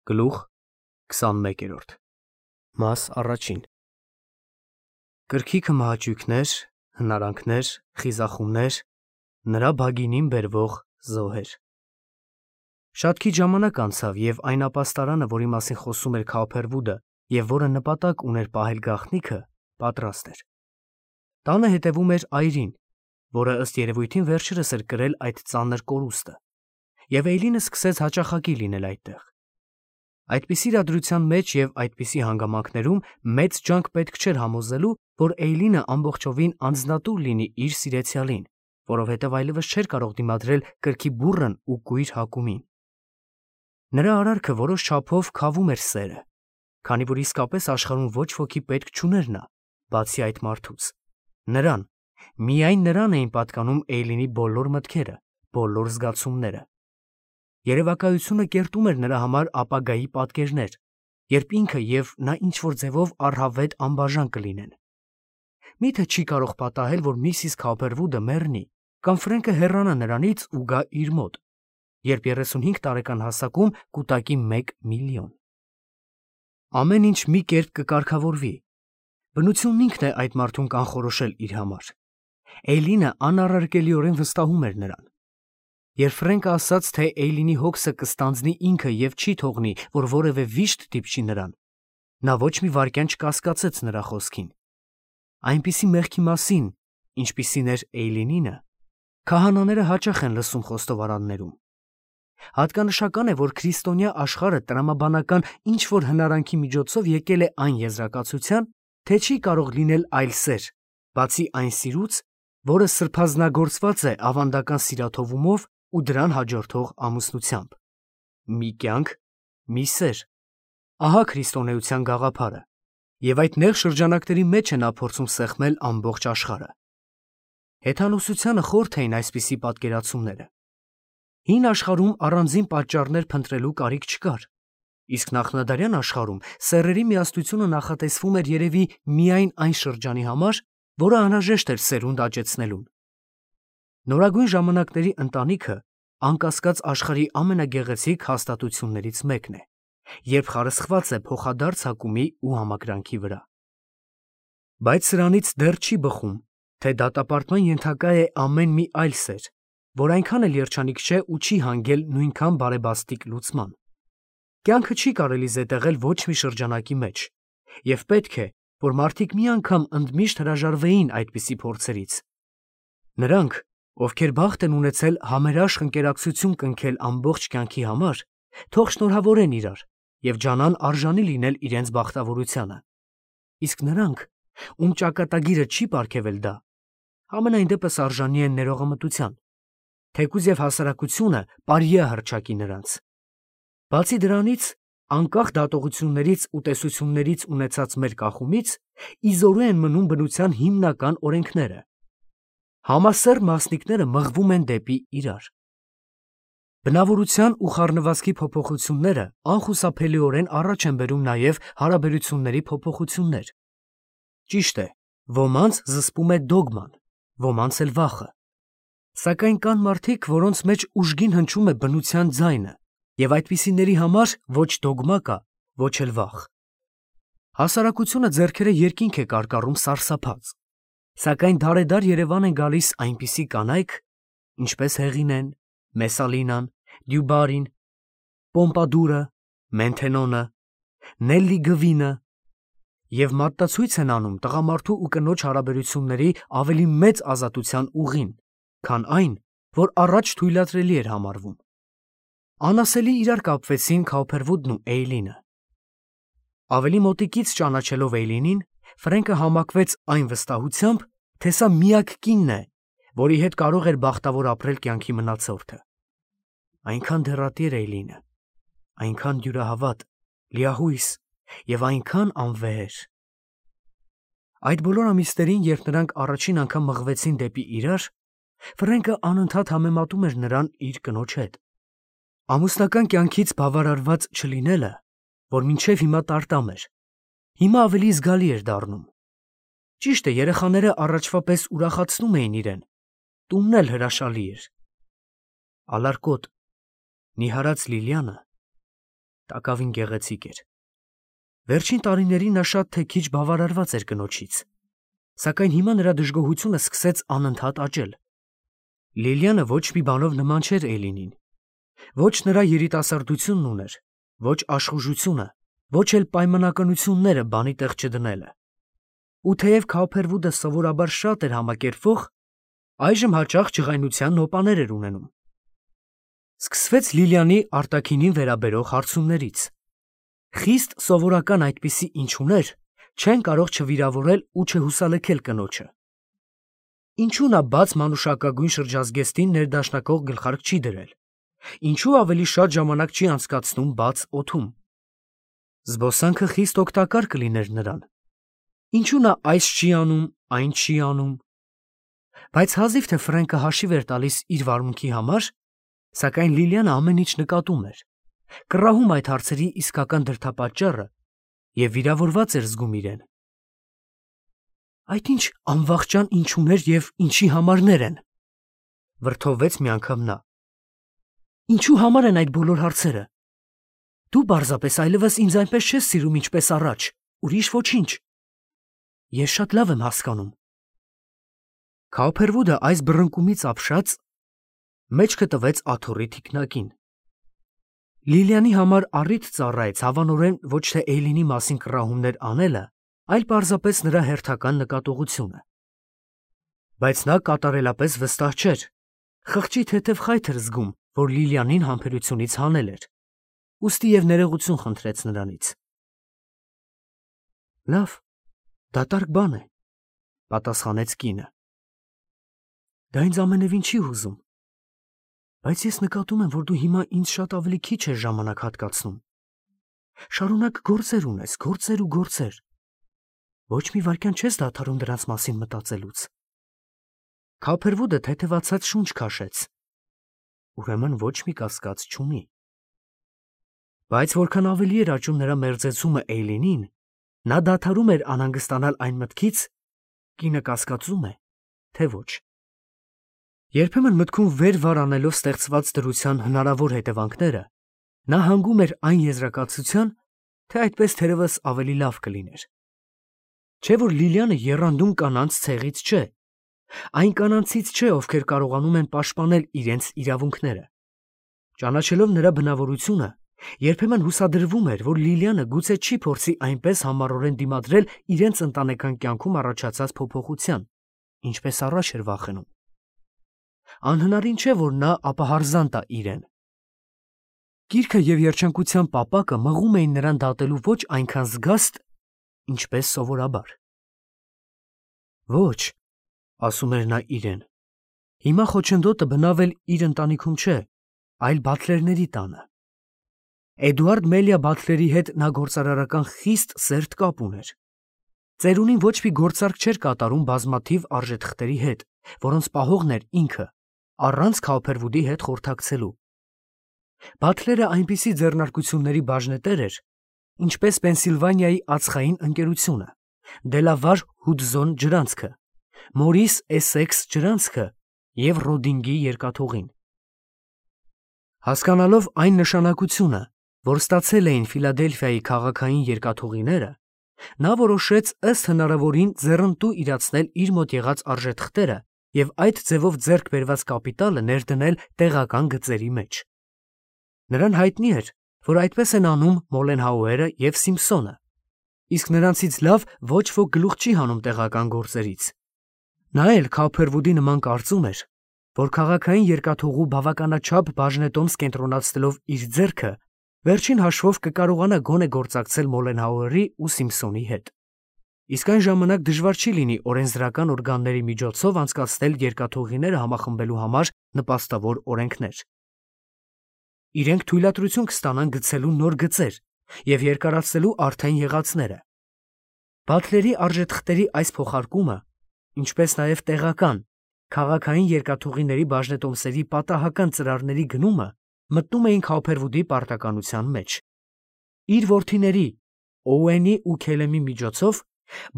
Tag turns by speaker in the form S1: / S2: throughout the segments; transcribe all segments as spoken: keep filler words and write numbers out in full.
S1: Գլուխ քսանմեկերորդ Մաս առաջին Կրքիքը մահաճույքներ, հնարանքներ, խիզախումներ, նրա բագինին բերվող զոհեր։ Շատ քիչ ժամանակ անցավ, և այն ապաստարանը, որի մասին խոսում էր Քափերվուդը և որը նպատակ ուներ պահել գաղտնիքը, պատրաստ էր։ Տանը հետևում էր այրին, որը ըստ երևույթին վերջերս էր կրել այդ ծանր կորուստը, և Էյլինը սկսեց հաճախակի լինել այդտեղ։ Այդպիսի իրադրության մեջ և այդպիսի հանգամանքներում մեծ ջանք պետք չէր համոզելու, որ Էյլինը ամբողջովին անձնատուր լինի իր սիրեցյալին, որովհետև այլևս չէր կարող դիմադրել կրքի բուռն ու կույր հակումին։ Նրա արարքը որոշ չափով քավում էր սերը, քանի որ իսկապես աշխարհում ոչ ոքի պետք չուներ նա, բացի այդ մարդուց։ Նրան, միայն նրան էին պատկանում Էյլինի բոլոր մտքերը, բոլոր զգացումները։ Երևակայությունը կերտում էր նրա համար ապագայի պատկերներ, երբ ինքը և նա ինչ-որ ձևով առհավետ անբաժան կլինեն։ Մի՞թե չի կարող պատահել, որ միսիս Քափերվուդը մեռնի, կամ Ֆրենկը հեռանա նրանից ու գա իր մոտ, երբ երեսունհինգ տարեկան հասակում կուտակի մեկ միլիոն։ Ամեն ինչ մի կերպ կկարգավորվի։ Բնությունն ինքն է այդ մարդուն կանխորոշել իր համար։ Էյլինը անառարկելիորեն վստահում էր նրան։ Երբ Ֆրենկը ասաց, թե Էյլինի հոգսը կստանձնի ինքը և չի թողնի, որ որևէ վիշտ դիպչի նրան, նա ոչ մի վայրկյան չկասկածեց նրա խոսքին։ Այնպիսի մեղքի մասին, ինչպիսին էր Էյլինինը, քահանաները հաճախ են լսում խոստովարաններում։ Հատկանշական է, որ քրիստոնյա աշխարհը տրամաբանական ինչ-որ հնարանքի միջոցով եկել է այն եզրակացության, թե չի կարող լինել այլ սեր, բացի այն սիրուց, որը սրբազնագործված է ավանդական սիրաթողումով ու դրան հաջորդող ամուսնությամբ։ Մի կյանք, մի սեր։ Ահա քրիստոնեության գաղափարը, և այդ նեղ շրջանակների մեջ է նա փորձում սեղմել ամբողջ աշխարհը։ Հեթանոսությանը խորթ էին այսպիսի պատկերացումները։ Հին աշխարհում առանձին պատճառներ փնտրելու կարիք չկար, իսկ նախնադարյան աշխարհում սեռերի միասնությունը նախատեսվում էր երևի միայն այն շրջանի համար, որը անհրաժեշտ էր սերունդ աճեցնելուն։ Նորագույն ժամանակների ընտանիքը, անկասկած, աշխարհի ամենագեղեցիկ հաստատություններից մեկն է, երբ խարսխված է փոխադարձ հակումի ու համակրանքի վրա։ Բայց սրանից դեռ չի բխում, թե դատապարտման ենթակա է ամեն մի այլ սեր, որ այնքան էլ երջանիկ չէ ու չի հանգել նույնքան բարեբաստիկ լուծման։ Կյանքը չի կարելի զետեղել ոչ մի շրջանակի մեջ, և պետք է, որ մարդիկ մի անգամ ընդմիշտ հրաժարվեին այդպիսի փորձերից։ Նրանք, ովքեր բախտ են ունեցել համերաշխ ընկերակցություն կնքել ամբողջ կյանքի համար, թող շնորհավորեն իրար և ջանան արժանի լինել իրենց բախտավորությանը։ Իսկ նրանք, ում ճակատագիրը չի պարգևել դա, համենայն դեպս արժանի են ներողամտության, թեկուզ և հասարակությունը պարի է հռչակի նրանց։ Բացի դրանից, անկախ դատողություններից ու տեսություններից ունեցած մեր կախումից, իզորու են մնում բնության հիմնական օրենքները։ Համասեռ մասնիկները մղվում են դեպի իրար։ Բնավորության ու խառնվածքի փոփոխությունները անխուսափելիորեն առաջ են բերում նաև հարաբերությունների փոփոխություններ։ Ճիշտ է, ոմանց զսպում է դոգման, ոմանց էլ վախը։ Սակայն կան մարդիկ, որոնց մեջ ուժգին հնչում է բնության ձայնը, և այդպիսիների համար ոչ դոգմա կա, ոչ էլ վախ։ Հասարակությունը ձեռքերը երկինք է կարկառում սարսափած, սակայն դարեդար Երևան են գալիս այնպիսի կանայք, ինչպես Հեղինեն, Մեսալինան, Դյուբարին, Պոմպադուրը, Մենթենոնը, Նելլի Գվինը, և մատնացույց են անում տղամարդու ու կնոջ հարաբերությունների ավելի մեծ ազատության ուղին, քան այն, որ առաջ թույլատրելի էր համարվում։ Անասելի իրար կապվեցին Քափերվուդն ու Էյլինը։ Ավելի մոտիկից ճանաչելով Էյլինին, Ֆրենկը համակվեց այն վստահությամբ, թե սա միակ կինն է, որի հետ կարող էր բախտավոր ապրել կյանքի մնացորդը։ Այնքան դեռատիր Էյլինը, այնքան դյուրահավատ, լիահույս և այնքան անվեհեր։ Այդ բոլոր ամիսներին, երբ նրանք առաջին անգամ մղվեցին դեպի իրար, Ֆրենկը անընդհատ համեմատում էր նրան իր կնոջ հետ։ Ամուսնական կյանքից բավարարված չլինելը, որ մինչև հիմա տարտամ էր, հիմա ավելի զգալի էր դառնում։ Ճիշտ է, երեխաները առաջվա պես ուրախացնում էին իրեն, տունն էլ հրաշալի էր։ Ալարկոտ, նիհարած Լիլիանը տակավին գեղեցիկ էր։ Վերջին տարիներին նա շատ թե քիչ բավարարված էր կնոջից, սակայն հիմա նրա դժգոհությունը սկսեց անընդհատ աճել։ Լիլիանը ոչ մի բանով նման չէր Էլինին, ոչ նրա երիտասարդությունն ուներ, ոչ աշխուժությունը, ոչ էլ պայմանականությունները բանի տեղ չդնելը։ Ու թեև Քոուփերվուդը սովորաբար շատ էր համակերպվող, այժմ հաճախ ջղայնության նոպաներ էր ունենում։ Սկսվեց Լիլիանի արտաքինին վերաբերող հարցումներից։ Խիստ սովորական այդպիսի ինչուներ չեն կարող չվիրավորել ու չհուսալքել կնոջը։ Ինչու նա բաց մանուշակագույն շրջազգեստին ներդաշնակող գլխարկ չի դրել։ Ինչու ավելի շատ ժամանակ չի անցկացնում բաց օդում։ Զբոսանքը խիստ օգտակար կլիներ նրան։ Ինչու նա այս չի անում, այն չի անում։ Բայց հազիվ թե Ֆրենկը հաշիվ էր տալիս իր վարմունքի համար, սակայն Լիլիանը ամեն ինչ նկատում էր, կռահում այդ հարցերի իսկական դրդապատճառը և վիրավորված էր զգում իրեն։ Այդ ինչ անվախճան ինչուներ և ինչի համարներ են, վրդովվեց մի անգամ նա։ Ինչու համար են այդ բոլոր հարցերը։ Դու պարզապես այլևս ինձ այնպես չես սիրում, ինչպես առաջ, ուրիշ ոչինչ։ Ես շատ լավ եմ հասկանում։ Քոուփերվուդը այս բռնկումից ապշած մեջքը տվեց աթոռի թիկնակին։ Լիլիանի համար առիթ ծառայեց հավանորեն ոչ թե Էյլինի մասին կռահումներ անելը, այլ պարզապես նրա հերթական նկատողությունը։ Բայց նա կատարելապես վստահ չէր, խղճի թեթև խայթ էր զգում, որ Լիլիանին համբերությունից հանել էր, ուստի և ներողություն խնդրեց նրանից։ Լավ, դատարկ բան է, պատասխանեց կինը։ Դա ինձ ամենևին չի հուզում, բայց ես նկատում եմ, որ դու հիմա ինձ շատ ավելի քիչ ես ժամանակ հատկացնում։ Շարունակ գործեր ունես, գործեր ու գործեր։ Ոչ մի վայրկյան չես դադարում դրանց մասին մտածելուց։ Քոուփերվուդը թեթևացած շունչ քաշեց։ Ուրեմն ոչ մի կասկած չունի։ Բայց որքան ավելի էր աճում նրա մերձեցումը Էյլինին, նա դադարում էր անհանգստանալ այն մտքից, կինը կասկածում է, թե ոչ։ Երբեմն մտքում վեր վար անելով ստեղծված դրության հնարավոր հետևանքները, նա հանգում էր այն եզրակացության, թե այդպես թերևս ավելի լավ կլիներ։ Չէ որ Լիլիանը եռանդուն կանանց ցեղից չէ, այն կանանցից չէ, ովքեր կարողանում են պաշտպանել իրենց իրավունքները։ Ճանաչելով նրա բնավորությունը, երբեմն հուսադրվում էր, որ Լիլիանը գուցե չի փորձի այնպես համառորեն դիմադրել իրենց ընտանեկան կյանքում առաջացած փոփոխության, ինչպես առաջ էր վախենում։ Անհնարին չէ, որ նա ապահարզան տա իրեն։ Գիրքը և երջանկության պապակը մղում էին նրան դատելու ոչ այնքան զգաստ, ինչպես սովորաբար։ Ոչ, ասում էր նա իրեն, հիմա խոչընդոտը բնավ էլ իր ընտանիքում չէ, այլ Բաթլերների տանը։ Էդուարդ Մելիա Բաթլերի հետ նա գործարարական խիստ սերտ կապ ուներ։ Ծերունին ոչ մի գործարք չէր կատարում բազմաթիվ արժեթղթերի հետ, որոնց պահողն էր ինքը, առանց Քոուփերվուդի հետ խորհրդակցելու։ Բաթլերը այնպիսի ձեռնարկությունների բաժնետեր էր, ինչպես Պենսիլվանիայի ածխային ընկերությունը, Դելավար Հուդզոն ջրանցքը, Մորիս Էսեքս ջրանցքը և Ռոդինգի երկաթուղին։ Հասկանալով այն նշանակությունը, որ ստացել էին Ֆիլադելֆիայի քաղաքային երկաթուղիները, նա որոշեց ըստ հնարավորին ձեռնտու իրացնել իր մոտ եղած արժեթղթերը և այդ ձևով ձեռք բերված կապիտալը ներդնել տեղական գծերի մեջ։ Նրան հայտնի էր, որ այդպես են անում Մոլենհաուերը և Սիմփսոնը, իսկ նրանցից լավ ոչ ոք գլուխ չի հանում տեղական գործերից։ Նա էլ Քոուփերվուդի նման կարծում էր, որ քաղաքային երկաթուղու բավականաչափ բաժնետոմս կենտրոնացնելով իր ձեռքը, վերջին հաշվով կկարողանա գոնե գործակցել Մոլենհաուերի ու Սիմփսոնի հետ։ Իսկ այն ժամանակ դժվար չի լինի օրենսդրական օրգանների միջոցով անցկացնել երկաթուղիները համախմբելու համար նպաստավոր օրենքներ։ Իրենք թույլատրություն կստանան գցելու նոր գծեր և երկարացնելու արդեն եղածները։ Բաթլերի արժեթղթերի այս փոխարկումը, ինչպես նաև տեղական, քաղաքային երկաթուղիների բաժնետոմսերի պատահական ծրարների գնումը մտնում էին Քոուփերվուդի պարտականության մեջ։ Իր որդիների Օուենի ու Քելեմի միջոցով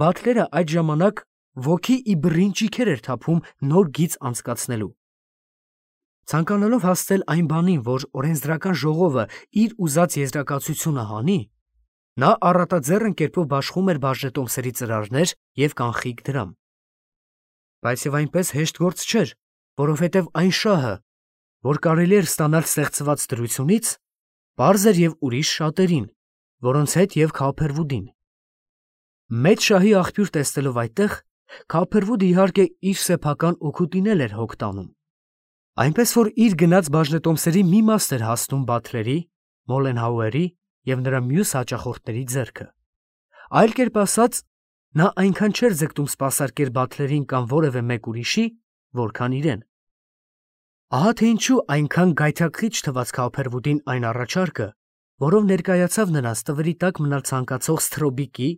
S1: Բաթլերը այդ ժամանակ ոգի ի բռին ճիգեր էր թափում նոր գիծ անցկացնելու։ Ցանկանալով հասնել այն բանին, որ օրենսդրական ժողովը իր ուզած եզրակացությունը հանի, նա առատաձեռն կերպով բաշխում էր բաժնետոմսերի ծրարներ և կանխիկ դրամ։ Բայց եւ այնպես հեշտ գործ չէր, որովհետև այն շահը, որ կարելի էր ստանալ ստեղծված դրությունից, պարզ էր և ուրիշ շատերին, որոնց հետ և Քափերվուդին։ Մեծ շահի աղբյուր տեսնելով այդտեղ, Քափերվուդը իհարկե իր սեփական օգուտին էլ էր հոգ տանում։ Այնպես որ իր գնած բաժնետոմսերի մի մաս էր հասնում Բաթլերի, Մոլենհաուերի և նրա մյուս հաճախորդների ձեռքը։ Այլ կերպ ասած, նա այնքան չէր ձգտում սպասարկել Բաթլերին կամ որևէ մեկ ուրիշի, որքան իրեն։ Ահա թե ինչու այնքան գայթակղիչ թվաց Քափերվուդին այն առաջարկը, որով ներկայացավ նրանց տվրի տակ մնալ ցանկացող Սթրոբիկի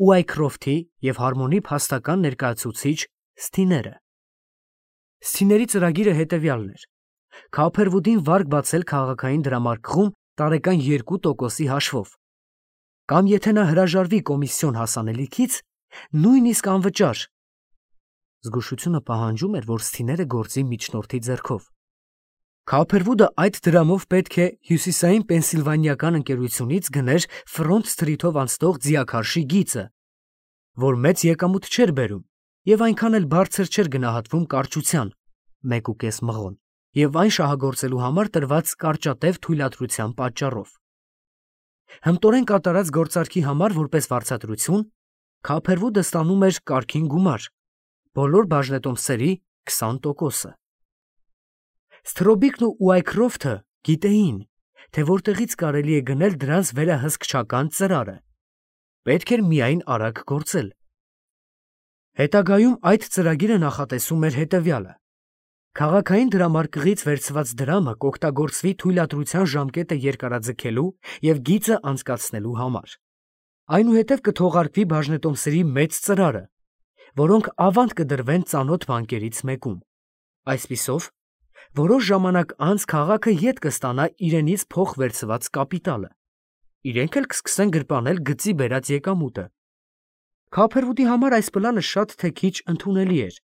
S1: ու Այքրոֆթի և Հարմոնի փաստական ներկայացուցիչ Սթիները։ Սթիների ծրագիրը հետևյալն էր. Քափերվուդին վարկ բացել քաղաքային դրամարկղում տարեկան երկու տոկոսի հաշվով, կամ եթե նա հրաժարվի կոմիսիոն հասանելիքից, նույնիսկ անվճար։ Զգուշությունը պահանջում էր, որ Սթիները գործի միջնորդի ձեռքով։ Քափերվուդը այդ դրամով պետք է հյուսիսային պենսիլվանիական ընկերությունից գներ Ֆրոնտ Սթրիթով անցնող ձիաքարշի գիծը, որ մեծ եկամուտ չէր բերում և այնքան էլ բարձր չէր գնահատվում կարճության (մեկ ու կես մղոն) և այն շահագործելու համար տրված կարճատև թույլատրության պատճառով։ Հմտորեն կատարած գործարքի համար որպես վարձատրություն Քափերվուդը ստանում էր կարգին գումար՝ բոլոր բաժնետոմսերի քսան տոկոսը։ Սթրոբիկն ու Այքրոֆթը գիտեին, թե որտեղից կարելի է գնել դրանց վերահսկչական ծրարը։ Պետք էր միայն արագ գործել։ Հետագայում այդ ծրագիրը նախատեսում էր հետևյալը. քաղաքային դրամարկղից վերցված դրամը կօգտագործվի թույլատրության ժամկետը երկարաձգելու և գիծը անցկացնելու համար։ Այնուհետև կթողարկվի բաժնետոմսերի մեծ ծրարը, որոնք ավանդ կդրվեն ծանոթ բանկերից մեկում։ Այսպիսով, որոշ ժամանակ անց քաղաքը ետ կստանա իրենից փոխվերցված կապիտալը։ Իրենք էլ կսկսեն գրպանել գծի բերած եկամուտը։ Քափերվուդի համար այս պլանը շատ թե քիչ ընդունելի էր,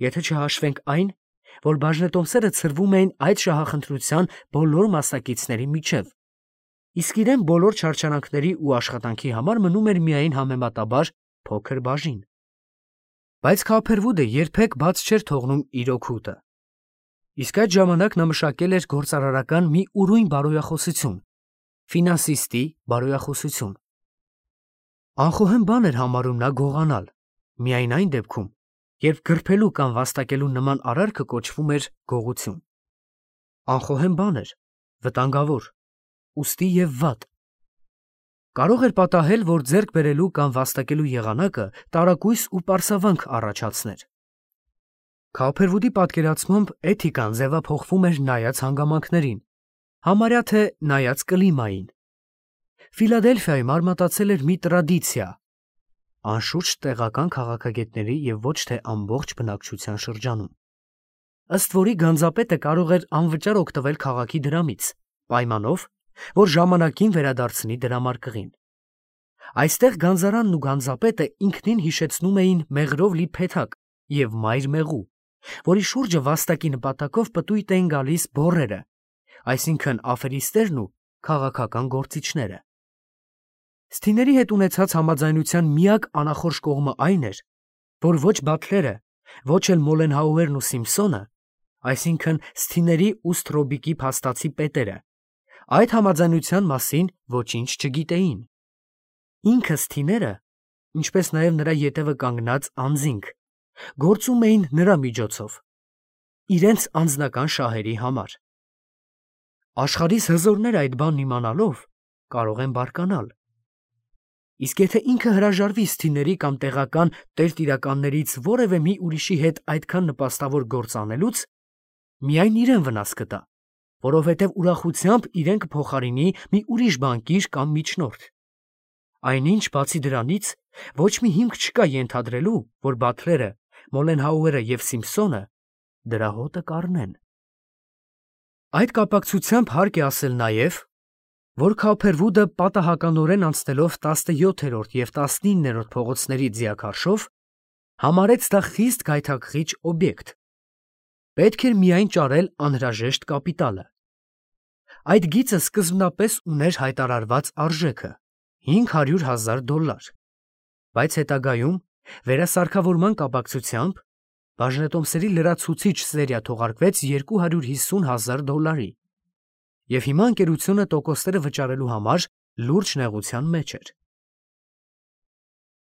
S1: եթե չհաշվենք այն, որ բաժնետոմսերը ցրվում էին այդ շահախնդրության բոլոր մասնակիցների միջև, իսկ իրեն բոլոր չարչարանքների ու աշխատանքի համար մնում էր միայն համեմատաբար փոքր բաժին։ Բայց Քափերվուդը երբեք բաց չէր թողնում իր օգուտը։ Իսկ այդ ժամանակ նա մշակել էր գործարարական մի ուրույն բարոյախոսություն՝ ֆինանսիստի բարոյախոսություն։ Անխոհեմ բան էր համարում նա գողանալ, միայն այն դեպքում, երբ գրփելու կամ վաստակելու նման արարքը կոչվում էր գողություն։ Անխոհեմ բան էր, վտանգավոր, ուստի և վատ։ Կարող էր պատահել, որ ձեռք բերելու կամ վաստակելու եղանակը տարակույս ու պարսավանք առաջացներ։ Քափերվուդի պատկերացմամբ էթիկան ձևափոխվում էր նայած հանգամանքներին, համարյա թե նայած կլիմային։ Ֆիլադելֆիայում արմատացել էր մի տրադիցիա, անշուշտ տեղական քաղաքագետների և ոչ թե ամբողջ բնակչության շրջանում, ըստ որի գանձապետը կարող էր անվճար օգտվել քաղաքի դրամից, պայմանով, որ ժամանակին վերադարձնի դրամարկղին։ Այստեղ գանձարանն ու գանձապետը ինքնին հիշեցնում էին մեղրով լի փեթակ և մայր մեղու, որի շուրջը վաստակի նպատակով պտույտ էին գալիս բոռերը, այսինքն աֆերիստներն ու քաղաքական գործիչները։ Սթիների հետ ունեցած համաձայնության միակ անախորժ կողմը այն էր, որ ոչ Բաթլերը, ոչ էլ Մոլենհաուերն ու Սիմփսոնը, այսինքն Սթիների ու Սթրոբիկի փաստացի պետերը, այդ համաձայնության մասին ոչինչ չգիտեին։ Ինքը Սթիները, ինչպես նաև նրա ետևը կանգնած անձինք, գործում էին նրա միջոցով, իրենց անձնական շահերի համար։ Աշխարհիս հզորները այդ բանն իմանալով կարող են բարկանալ։ Իսկ եթե ինքը հրաժարվի Սթիների կամ տեղական տերտիրականներից որևէ մի ուրիշի հետ այդքան նպաստավոր գործ անելուց, միայն իրեն վնաս կտա, որովհետև ուրախությամբ իրեն կփոխարինի մի ուրիշ բանկիր կամ միջնորդ։ Այնինչ, բացի դրանից, ոչ մի հիմք չկա ենթադրելու, որ Բաթլերը, Մոլենհաուերը և Սիմփսոնը դրա հոտը կառնեն։ Այդ կապակցությամբ հարկ է ասել նաև, որ Քափերվուդը պատահականորեն անցնելով տասնյոթերորդ և տասնիններորդ փողոցների ձիաքարշով, համարեց դա խիստ գայթակղիչ օբյեկտ։ Պետք էր միայն ճարել անհրաժեշտ կապիտալը։ Այդ գիծը սկզբնապես ուներ հայտարարված արժեքը հինգ հարյուր հազար դոլլար, բայց հետագայում վերասարքավորման կապակցությամբ բաժնետոմսերի լրացուցիչ սերիա թողարկվեց երկու հարյուր հիսուն հազար դոլարի, և հիմա ընկերությունը տոկոսները վճարելու համար լուրջ նեղության մեջ էր։